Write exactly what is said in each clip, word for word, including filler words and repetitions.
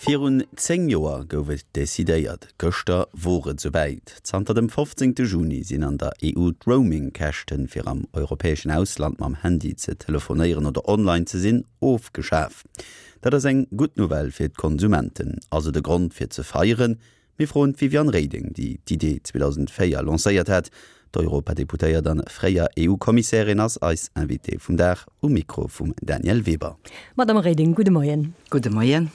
Virun zéng Joer gouf et decidéiert, gëschter wor et souwäit. Zanter dem fofzéngte Juni sinn an der E U d'Roaming-Käschten, fir am europäeschen Ausland mam Handy ze telefonéieren oder online ze sinn, ofgeschaf. Dat ass eng gutt Nouvelle fir d'Konsumenten. Ass et e Grond fir ze feieren? Mir froen d'Viviane Reding, déi d'Idee zweedausendvéier lancéiert hat. D'Europadeputéiert an fréier E U-Kommissärin ass eis Invitée vum Dag um Mikro vum Danièle Weber. Madame Reding, gudde Moien. Gudde Moien.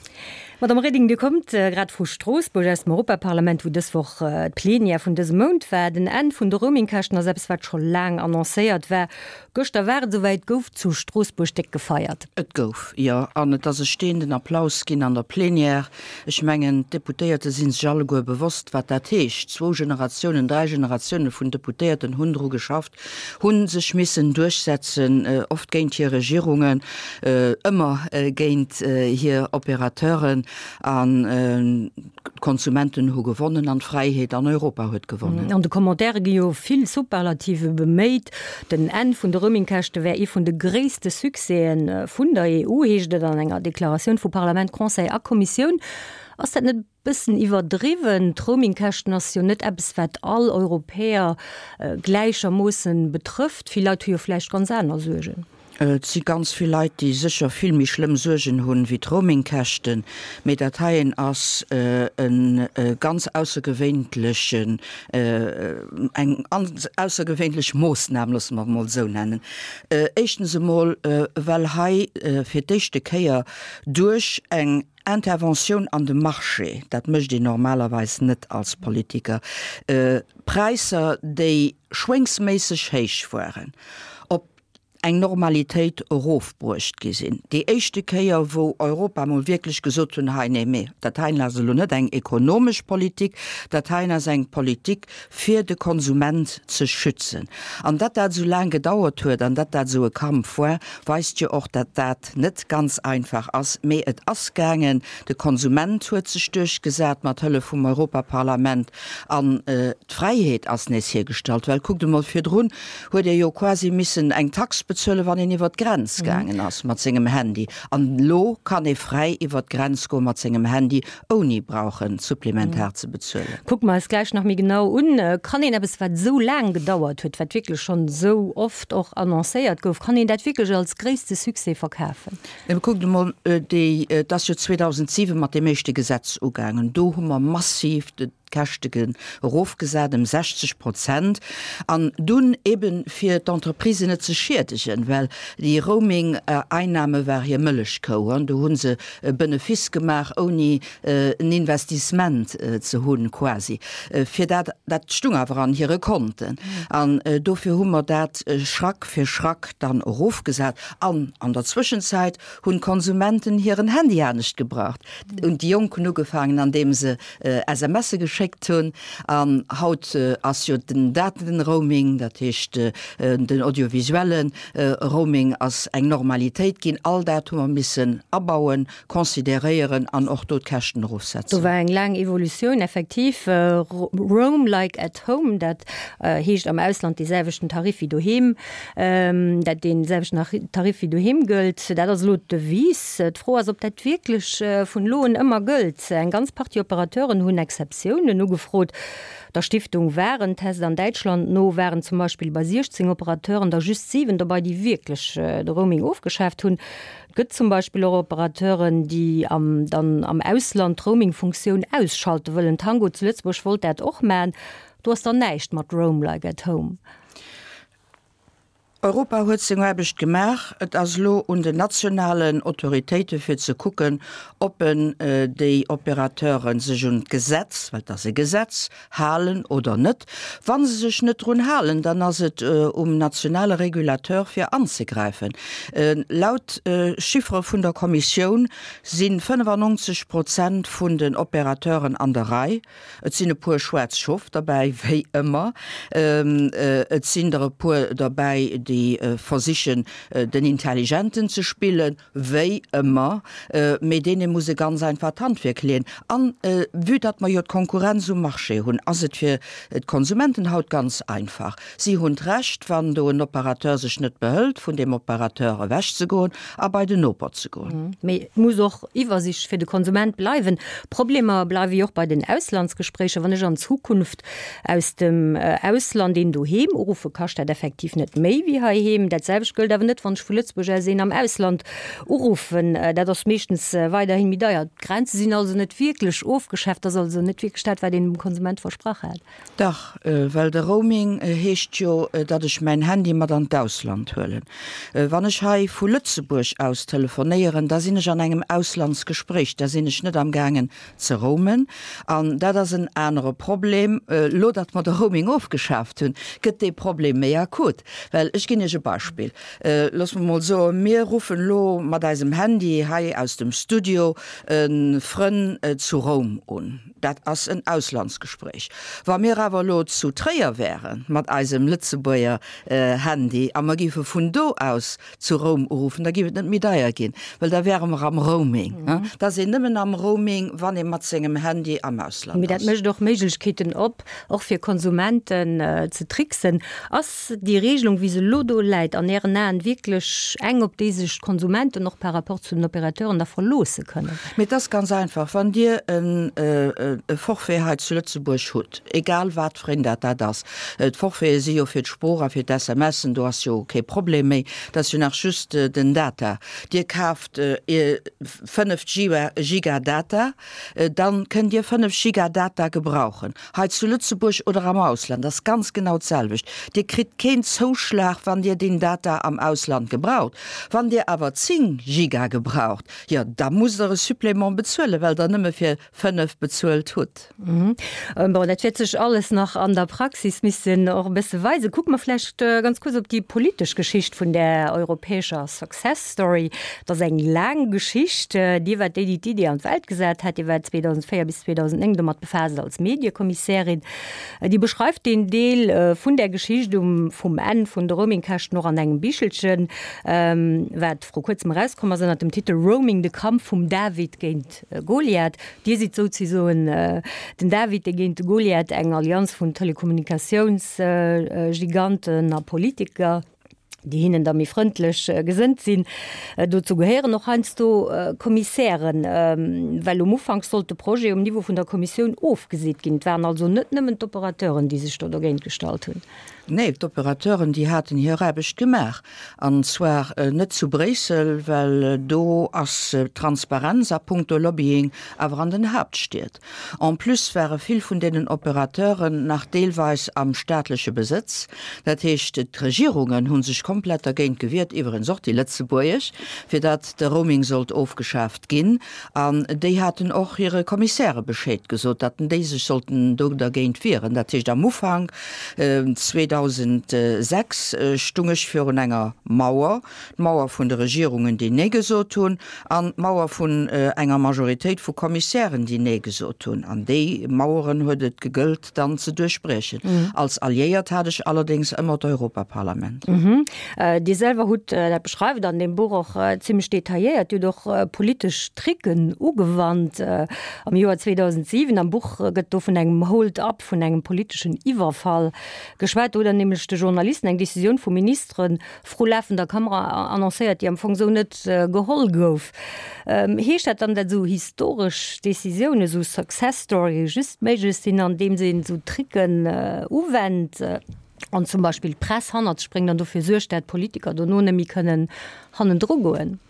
Madame Reding, Dir kommt grad vu Stroossbuerg aus dem Europaparlament, wou dës Woch d'Plenière vun dësem Mount war. Den Enn vun de Roamingkäschten ass eppes, wat scho laang annoncéiert war. Gëschter war et esouwäit, gouf zu Stroossbuerg déck gefeiert. Et gouf, jo. An et ass e steeënden Applaus ginn an der Plenière. Ech mengen, d'Deputéierte si sech alleguer bewosst, wat dat heescht. Zwou Generatiounen, dräi Generatioune vun Deputéierten hunn dru geschafft, hu sech missen duerchsetzen, oft géint hir Regierungen, ëmmer géint hir Operateuren. An d'Konsumenten hu gewonnen an d'Fräiheet an Europa huet gewonnen. An de Commentaire gi jo vill Superlative beméit. Den Enn vun de Roamingkäschte wär ee vun de gréisste Succèsen vun der E U, heescht et an enger Deklaratioun vu Parlament, Conseil a Kommissioun. Ass dat net e bëssen iwwerdriwwen? D'Roamingkäschten ass jo net eppes, wat all Europäer gläichermoossen betrëfft. Vill Leit hu jo vläicht ganz aner Suergen. Et si ganz vill Leit, déi sécher vill méi schlëmm Suergen hunn wéi d'Roamingkäschten, mee dat heien ass e ganz aussergewéinlechen, eng aussergewéinlech Moossnam, loosse mer et emol esou nennen. Éischtens emol, well hei fir d'éischte Kéier duerch eng Interventioun an de Marché, dat mécht een normalerweis net als Politiker, Präisser, déi schwéngsméisseg héich waren, op eng Normalitéit erofbruecht gi sinn. Déi éischte Kéier, wou Europa mol wierklech gesot hunn, hei, nee, mee dat heien ass elo net eng ekonomesch Politik, dat heien ass eng Politik, fir de Konsument ze schützen. An datt dat esou laang gedauert huet an datt dat esou e Kampf war, weist jo och, datt dat net ganz einfach ass. Mee et ass gaangen. De Konsument huet sech duerchgesat mat Hëllef vum Europaparlament an d'Fräiheet ass nees hiergestallt. Well kuckt emol, virdrun huet ee jo quasi missen eng Tax bezuelen, wann een iwwer d'Grenz gaangen ass mat sengem Handy. An elo kann ee fräi iwwer d'Grenz goe mat sengem Handy, ouni brauchen supplementar ze bezuelen. Kucke mer eis gläich nach méi genau un. Kann een eppes, wat esou laang gedauert huet, wat wierklech schonn esou oft och annoncéiert gouf, kann een dat wierklech als gréisste Succès verkafen? Kuckt emol, déi, et ass jo zweedausentsiwen mat deem éischte Gesetz ugaangen. Do hu mer massiv d'Käschte erofgesat ëm sechzeg Prozent. An dunn eben fir d'Entreprisen net ze schiedegen, well déi Roaming-Einnahme war hir Mëllechkou. An do hu se e Benefice gemaach, ouni en Investissement ze hunn, quasi. Fir dat, dat stung awer an hire Konten. An dofir hu mer dat Schrack fir Schrack dann erofgesat. An an der Zwëschenzäit hunn d'Konsumenten hiren Handy anescht gebraucht. Und déi Jonk hunn ugefaangen, andeem se S M S geschéckt hunn. An haut ass jo den Datenroaming, dat heescht den audiovisuellen Roaming ass eng Normalitéit ginn. All dat hu mer missen abauen, consideréieren an och do d'Käschten erofsetzen. Do war eng laang Evolutioun, effektiv. Roam like at home, dat heescht am Ausland dee selwechten Tarif wéi doheem, dat dee selwechten Tarif wéi doheem gëllt. Dat ass elo d'Devise. D'Fro ass, ob dat wierklech vun elo un ëmmer gëllt. Eng ganz Partie Operateuren hunn Exceptiounen ugefrot. Der Stiftung Warentest an Däitschland no waren zum Beispill bei siechzéng Operateuren der just siwen dobei, déi wierklech de Roaming ofgeschaaft hunn. Et gëtt zum Beispill och Operateuren, déi am, dann am Ausland d'Roaming-Funktioun ausschalte wëllen. Tango zu Lëtzebuerg wollt dat och maachen. Do ass dann näischt mat Roam like at home. Europa huet seng Aarbecht gemaach. Et ass elo un den nationalen Autoritéite fir ze kucken, ob en déi Operateuren sech un d'Gesetz, well et ass e Gesetz, halen oder net. Wann se sech net drun halen, dann ass et um nationale Regulateur fir anzegräifen. Laut Chiffre vun der Kommissioun si fënnefannonzeg Prozent vun den Operateuren an der Rei. Et sinn e puer schwaarz Schof derbäi, wéi ëmmer. Et sinn der e puer derbäi, déi déi versichen, den Intelligenten ze spillen, wéi ëmmer, mee deene muss e ganz einfach d'Handwierk leeën. An vue datt mer jo d'Konkurrenz um Marché hunn, ass et fir d'Konsumenten haut ganz einfach, Si hunn d'Recht, wann do en Opérateur sech net behëlt, vun deem Opérateur ewechzegoen a bei den Noper ze goen. Mee et muss och Iwwersicht fir de Konsument bleiwen. Problemer bleiwe jo och bei den Auslandsgespréicher. Wann ech an Zukunft aus dem Ausland een doheem uruffen, kascht dat effektiv net méi wéi heiheem. Dat selwecht gëllt awer net, wann ech vu Lëtzebuerg aus een am Ausland uruffen. Dat ass meeschtens weiderhi méi deier. D'Grenze sinn also net wierklech ofgeschaaft. Dat ass also net wierklech dat, wat een dem Konsument versprach hat. Dach, well de Roaming heescht jo, datt ech mäin Handy mat an d'Ausland huelen. Wann ech hei vu Lëtzebuerg aus telefonéieren, da sinn ech an engem Auslandsgespréich, da sinn ech net amgaangen ze roamen. An dat ass en anere Problem. Elo datt mer de Roaming ofgeschaaft hunn, gëtt dee Problem méi akut. Well ech ginn Iech e Beispill, Loosse mer mol soen, mir ruffen elo mat eisem Handy hei aus dem Studio e Frënn zu Roum un. Dat ass en Auslandsgespréich. Wa mir awer elo zu Tréier wäre mat eisem Lëtzebuerger Handy a mer géife vun do aus zu Roum uruffen, da géif et net méi deier ginn, well da wäre mer am Roaming. Et ass een nëmmen am Roaming, wann ee mat sengem Handy am Ausland Mee dat ass. mécht och Méiglechkeeten op, och fir Konsumenten ze tricksen. Ass déi Regelung, wéi se elo do läit, an Ären Aen wierklech eng, op déi sech d'Konsumenten och par rapport zu den Opérateuren da verloosse kënnen? Mee et ass ganz einfach, Wann Dir e Forfait hei zu Lëtzebuerg hutt, egal wat fir een dat dat ass, d'Forfaite si jo fir d'Sprooch a fir d'SMSen, do ass jo kee Problem méi, dat ass jo nach just den Data, Dir kaaft fënnef Giga Data, dann kënnt Dir fënnef Giga Data gebrauchen, hei zu Lëtzebuerg oder am Ausland, ass ganz genau d'selwecht. Dir kritt keen Zouschlag, wann Dir deen Data am Ausland gebraucht. Wann Dir awer zéng Giga gebraucht, jo da musst Der e Supplément bezuelen, well Der nëmme fir fënnef bezuelt hutt. Bon, dat wäert sech alles nach an der Praxis missen och e bësse weisen. Kucke mer vläicht ganz kuerz op déi politesch Geschicht vun där europäescher Success Story. Et ass eng laang Geschicht. Dir waart déi, déi d'Idee an d'Welt gesat hat. Dir waart zweedausendvéier bis zweedausendnéng domat befaasst als Mediekommissärin. Dir beschreift deen Deel vun där Geschicht um vum Enn vun de Roamingkäschten och an engem Bichelchen, wat vru kuerzem erauskomm ass ënner dem Titel Roaming, de Kampf vum David géint Goliath. Dir sidd souzesoen den David, dee géint de Goliath, eng Allianz vun Telekommunikatiounsgiganten a Politiker, déi hinnen da méi frëndlech gesënnt sinn. Dozou gehéieren och heiansdo Kommissären, well um Ufank sollt de Projet um Niveau vun der Kommissioun ofgeseet ginn. Et waren also net nëmmen d'Operateuren, déi sech do dogéint gestallt hunn. Nee, d'Operateuren, déi haten hir Aarbecht gemaach, an zwar net zu Bréissel, well do ass d'Transparenz a puncto Lobbying, awer an den Haaptstied. En plus ware vill vun deenen Operateuren nach deelweis am staatleche Besëtz. Dat heescht, d'Regierungen hu sech komplett dergéint gewiert, iwwerens och déi lëtzebuergesch, fir datt de Roaming sollt ofgeschaaft ginn. An déi haten och hire Kommissäre Bescheed gesot, datt déi sech sollten do dergéint wieren. Dat heescht, am Ufank zweedausendsechs stung ech virun enger Mauer, d'Mauer vun de Regierungen, déi Nee gesot hunn, an d'Mauer vun enger Majoritéit vu Kommissären, déi Nee gesot hunn. An déi Maueren huet et gegëllt dann ze duerchbriechen. Als Alliéiert hat ech allerdéngs ëmmer d'Europaparlament. Dir selwer hutt, dat beschreift Der an deem Buch och zimmlech detailléiert, Dir hutt och politesch Tricken ugewannt am Joer zweedausentsiwen. Am Buch gëtt do vun engem Hold-up, vun engem politeschen Iwwerfall geschwat. Do hutt Der nämlech de Journalisten eng Decisioun vu Ministere vru lafender Kamera annoncéiert, déi am Fong esou net geholl gouf. Heescht dat dann, datt esou historesch Decisiounen, esou Success Storye just méiglech sinn, andeems een esou Tricken uwennt an zum Beispill d'Press hannert sech bréngt an dofir suergt, dat d'Politiker dono net méi kënnen hannendru goen?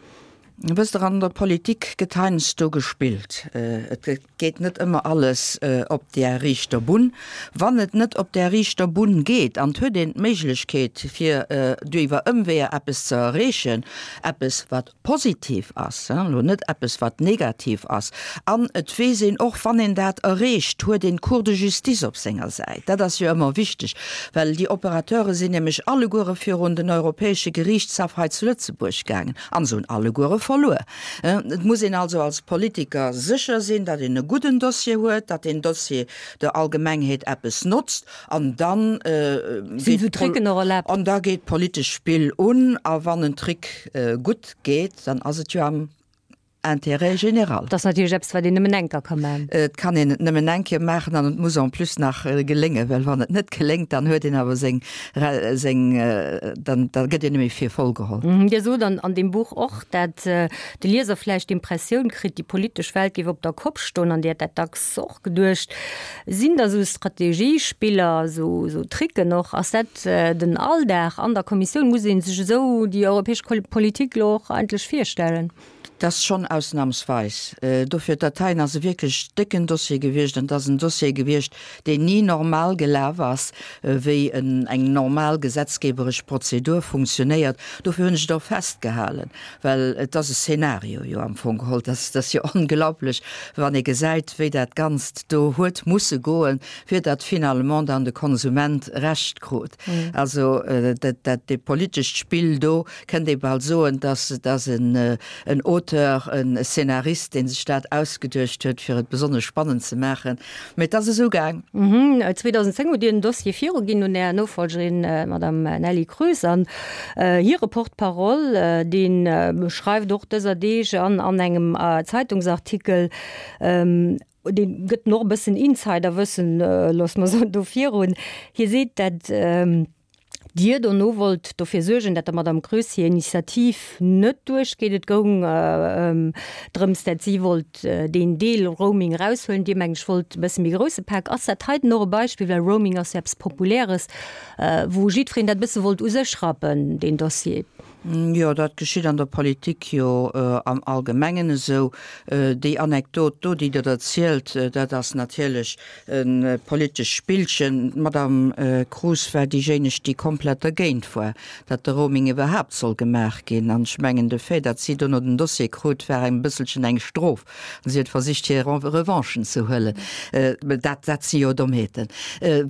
Wësst Der, an der Politik gëtt heiansdo gespillt. Et geet net ëmmer alles op där riichter Bunn. Wann et net op där riichter Bunn geet an et huet een d'Méiglechkeet, fir duerch Ëmweeër eppes ze erreechen, eppes wat positiv ass, elo net eppes wat negativ ass, an et weess een och, wann een dat erreecht, huet een d'Cour de justice op senger Säit. Dat ass jo ëmmer wichteg, well déi Opérateure sinn nämlech alleguere virun den Europäesche Geriichtshaff hei zu Lëtzebuerg gaangen an se hunn alleguere verluer. Et muss een also als Politiker sécher sinn, datt een e gudden Dossier huet, datt deen Dossier der Allgemengheet eppes notzt, an dann Sinn esou Tricken och erlaabt? An da geet d'politescht Spill un, a wann en Trick gutt geet, dann ass et jo am Intérêt général. Dat ass natierlech eppes, wat een nëmmen eng Kéier ka maachen. Et kann een et nëmmen eng Kéier maachen an et muss en plus nach geléngen, well wann et net geléngt, dann huet een awer seng, seng, dann, da gëtt een net méi fir voll geholl. Dir sot an, an deem Buch och, dat de Lieser vläicht d'Impressioun kritt, déi politesch Welt géif op der Kopp stoen, an Dir hätt dat dacks och geduecht. Sinn da sou Strategiespiller, sou, sou Tricken och, ass dat den Alldag an der Kommissioun? Muss ee sech esou déi europäesch Politik elo och eigentlech virstellen? Dat ass schonn ausnamsweis. Dofir, dat heien ass e wierklech décken Dossier gewiescht an et ass en Dossier gewiescht, deen ni normal gelaf ass, wéi eng normal gesetzgeberesch Prozedur funktionéiert. Dofir hunn ech et och festgehalen, well et ass e Szenario jo am Fong geholl. Dat ass jo onglaublech, wann ee gesäit, wéi dat Ganzt do huet musse goen, fir datt finalement dann de Konsument Recht krut. Also dat, dat, dee politescht Spill do, kënnt ee bal soen, dass et ass en Auteur, en Szenarist, dee sech dat ausgeduecht huet, fir et besonnesch spannend ze maachen. Mee et ass esou gaang. zweedausendzéng hutt Dir den Dossier viruginn un Är Nofollgerin, d'Madame Nelly Kroes, an hire Porte-parole, dee schreift och dëser Deeg an an engem Zeitungsartikel, dee gëtt en och e bëssen Insiderwëssen, loosse mer soen, do virun. Hie seet, dat Dir dono wollt dofir suergen, dat der Madame Kroes hir Initiativ net duerchgeet. Et goung drëms, dat si wollt deen Deel Roaming eraushuelen. Dir, mengen ech, wollt e bësse méi grousse Pak. Ass dat heiten och e Beispill, well Roaming ass jo eppes Populäres, wou jiddwereen dat e bësse wollt u sech rappen, deen Dossier? Jo, dat geschitt an der Politik jo am Allgemengen esou. Déi Anekdot do, déi Der erzielt, dat ass natierlech e politescht Spillchen. D'Madame Kroes war déijéineg, déi komplett dergéint war, datt de Roaming iwwerhaapt soll gemaach ginn. An ech mengen, de Fait, datt si dono den Dossier krut, war eng bësselchen eng Strof. An si huet versicht, hir Revanchen ze huelen. Dat, dat si jo Dommheeten.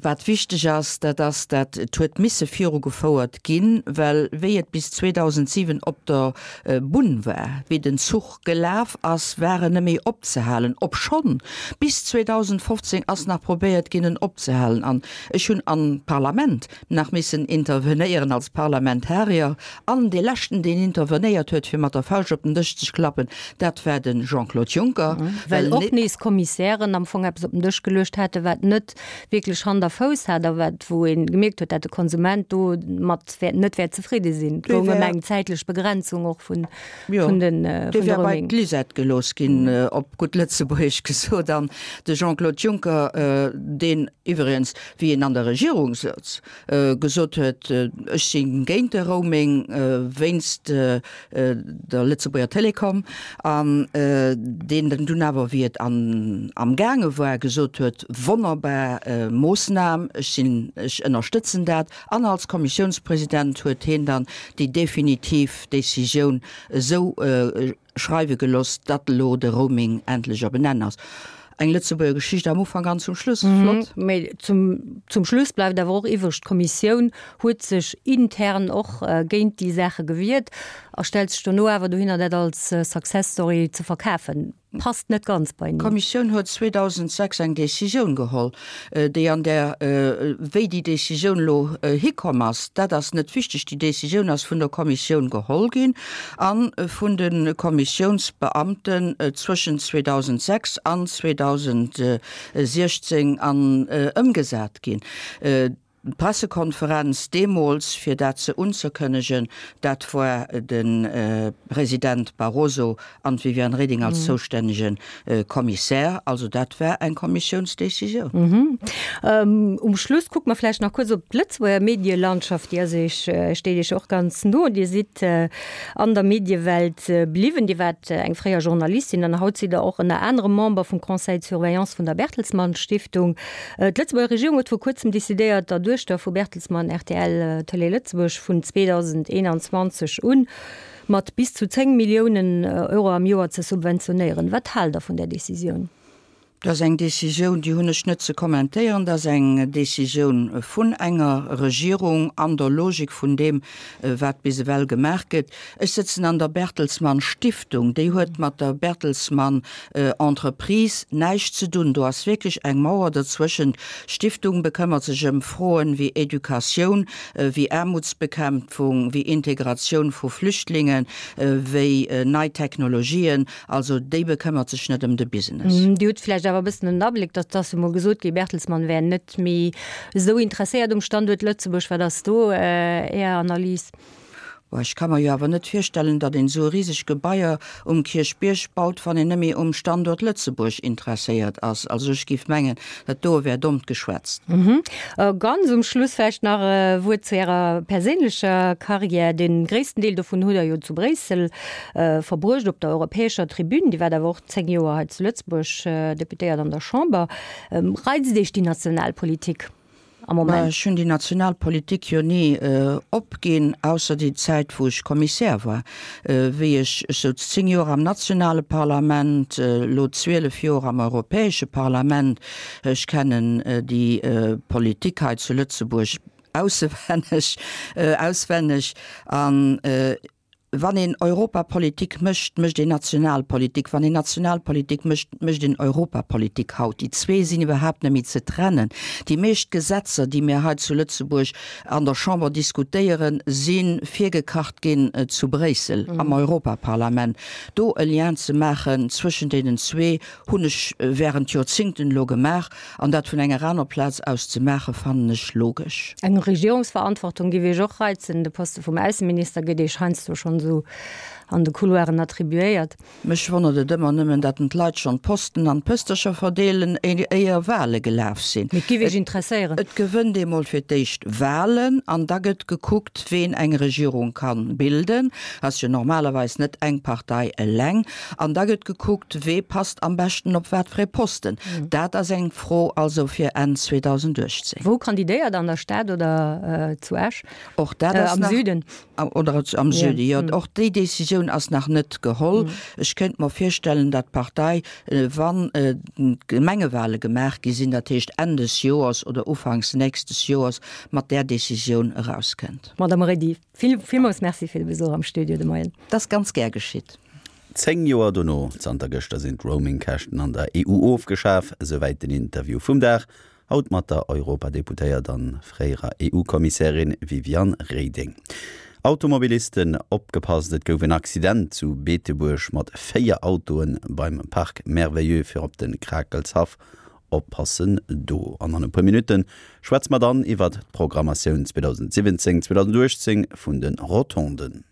Wat wichteg ass, dat ass, datt et huet misse virugefouert ginn, well wéi et bis zweedausentsiwen op der Bunn war, wéi den Zuch gelaf ass, war en net méi opzehalen, obschonn bis zweedausendfofzéng ass nach probéiert ginn, en opzehalen. An ech hunn am Parlament nach missen intervenéieren als Parlamentarier. An dee leschten, deen intervenéiert huet, fir mat der Fauscht op den Dësch ze klappen, dat war de Jean-Claude Juncker. Well och nees Kommissären am Fong eppes op den Dësch geluecht haten, wat net wierklech Hand a Fouss hat a wat, wou ee gemierkt huet, dat de Konsument do mat wäert, net wäert zefridde sinn. Et goung ëm eng zäitlech Begrenzung och vun, vun den, vun de Roaming. Dee wär bei d'Lisette gelooss ginn, op gutt Lëtzebuergesch gesot. An de Jean-Claude Juncker, deen iwwregens, wéi en an der Regierung souz, gesot huet, ech si géint de Roaming wéinst der Lëtzebuerger Telekom, an deen dann dunn awer, wéi et an amgaange war, gesot huet, wonnerbar Moossnam, ech sinn, ech ënnerstëtzen dat. An als Kommissiounspresident huet hien dann déi definitiv Décisioun esou schreiwe geloss, datt elo de Roaming endlech op en Enn ass. Eng Lëtzebuerger Geschicht am Ufank an zum Schluss. Flott. Mee zum, zum Schluss bleift awer och iwwreg, d'Kommissioun huet sech intern och géint déi Saache gewiert a stellt sech dono awer dohinner, dat als Success Story ze verkafen. Passt net ganz beieneen. D'Kommissioun huet zweedausendsechs eng Décisioun geholl, déi an där, wéi déi Décisioun elo hikomm ass, dat ass net wichteg. Déi Décisioun ass vun der Kommissioun geholl ginn a vun de Kommissiounsbeamten zwëschent zweedausendsechs an zweedausensiechzéng an ëmgesat ginn. D'Pressekonferenz deemools, fir dat ze unzekënnegen, dat war de President Barroso an d'Viviane Reding als zoustännege Kommissär. Also dat war eng Kommissiounsdecisioun. Um Schluss kucke mer vläicht nach kuerz op d'Lëtzebuerger Medielandschaft. Déi ass Iech, steet Iech och ganz no. Dir sidd an der Mediewelt bliwwen. Dir waart eng fréier Journalistin an haut sidd Der och ënner anerem Member vum Conseil de surveillance vun der Bertelsmann Stiftung. D'Lëtzebuerger Regierung huet vor kuerzem decidéiert, der Duechter vu Bertelsmann rtl Tëlee Lëtzebuerg vun zweedausendeenanzwanzeg un mat bis zu zéng Milliounen Euro am Joer ze subventionéieren. Wat haalt Der vun där Decisioun? Dat ass eng Decisioun, déi hunn ech net ze kommentéieren. Dat ass eng Decisioun vun enger Regierung an der Logik vun deem, wat bis ewell gemaach gëtt. Ech sëtzen an der Bertelsmann Stiftung, déi huet mat der Bertelsmann Entreprise näischt ze dunn. Do ass wierklech eng Mauer dozwëschent. D'Stiftung bekëmmert sech ëm Froen wéi Educatioun, wéi Aarmutsbekämpfung, wéi Integratioun vu Flüchtlingen, wéi nei Technologien. Also déi bekëmmert sech net ëm de Business. Dir hutt vläicht awer e bëssen en Abléck, datt ass emol gesot gi, Bertelsmann wär net méi esou interesséiert um Standuert Lëtzebuerg. Wat ass do Är Analys? Bon, ech ka mer jo awer net virstellen, datt een esou e riseg Gebaier um Kierchbierg baut, wann een net méi um Standuert Lëtzebuerg interesséiert ass. Also ech géif mengen, dat doe wär dommt geschwätzt. Ganz um Schluss vläicht nach e Wuert zu Ärer perséinlecher Karriär. De gréissten Deel dovun hutt Der jo zu Bréissel verbruecht, op der europäescher Tribün. Dir waart awer och zéng Joer hei zu Lëtzebuerg Deputéiert an der Chamber. Reizt Iech déi national Politik am Moment? Ech hunn déi national Politik jo ni opginn, ausser déi Zäit, wou ech Kommissär war. Wéi ech, ech souz zéng Joer am nationale Parlament, elo zwielef Joer am Europäesche Parlament. Ech kennen déi Politik hei zu Lëtzebuerg aussewenneg, auswenneg an Wann een Europapolitik mécht, mécht een Nationalpolitik. Wann een Nationalpolitik mécht, mécht een Europapolitik haut. Déi zwee sinn iwwerhaapt net méi ze trennen. Déi meescht Gesetzer, déi mir hei zu Lëtzebuerg an der Chamber diskutéieren, si virgekacht ginn zu Bréissel am Europaparlament. Do e Lien ze maachen zwëschen deenen zwee, hunn ech während Joerzingten elo gemaach. An dat vun enger aner Plaz aus ze maachen, fannen ech logesch. Eng Regierungsverantwortung géif Iech och reizen? De Poste vum Ausseminister gëtt Iech heiansdo schonn esou an de Couloiren attribuéiert. Mech wonnert et ëmmer nëmmen, datt en d'Leit schonn d'Posten an d'Pëstercher verdeelen, éier Wale gelaf sinn. Mee et géif Iech interesséieren? Et gewënnt ee mol fir d'éischt Walen an da gëtt gekuckt, ween eng Regierung ka bilden. Ass jo normalerweis net eng Partei eleng. An da gëtt gekuckt, wee passt am beschten op wat fir ee Posten. Dat ass eng Fro also fir Enn zweedausenduechtzéng. Wou kandidéiert, an der Stad oder zu Esch? Och dat ass am nach, Süden. Oder am Süden, jo. Och déi Decisioun ass nach net geholl. Ech kéint mer virstellen, datt d'Partei, wann d'Gemengewale gemaach gi sinn, dat heescht Enn des Joers oder ufanks nächstes Joers, mat där Decisioun erauskënnt. Madame Reding, vill, villmools Merci fir de Besuch am Studio de Moien. Dat ass ganz gär geschitt. Zéng Joer dono, zanter gëschter sinn d'Roaming-Käschten an der E U ofgeschaf, esouwäit den Interview vum Dag, haut mat der Europadeputéiert an fréierer E U-Kommissärin Viviane Reding. Automobilisten opgepasst, et gouf en Accident zu Beetebuerg mat véier Autoen beim Parc Merveilleux fir op de Krakelshaff. Oppassen do. An an e puer Minutte schwätze mer dann iwwert d'Programmatioun zweedausendsiwwenzéng, zweedausenduechtzéng vun de Rotonden.